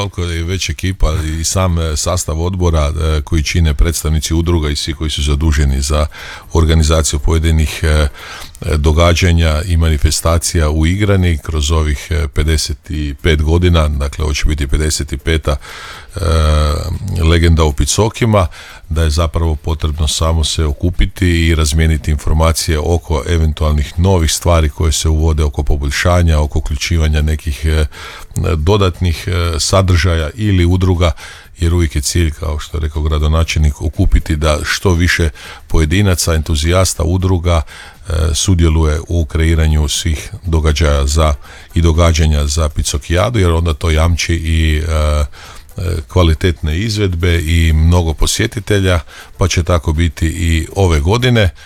toliko je već ekipa i sam sastav odbora koji čine predstavnici udruga i svi koji su zaduženi za organizaciju pojedinih događanja i manifestacija uigrani kroz ovih 55 godina, dakle ovo će biti 55. legenda o Picokima, da je zapravo potrebno samo se okupiti i razmijeniti informacije oko eventualnih novih stvari koje se uvode, oko poboljšanja, oko uključivanja nekih dodatnih sadržaja ili udruga, jer uvijek je cilj, kao što je rekao gradonačelnik, okupiti da što više pojedinaca, entuzijasta, udruga sudjeluje u kreiranju svih događaja i događanja za Picokijadu, jer onda to jamči i kvalitetne izvedbe i mnogo posjetitelja, pa će tako biti i ove godine.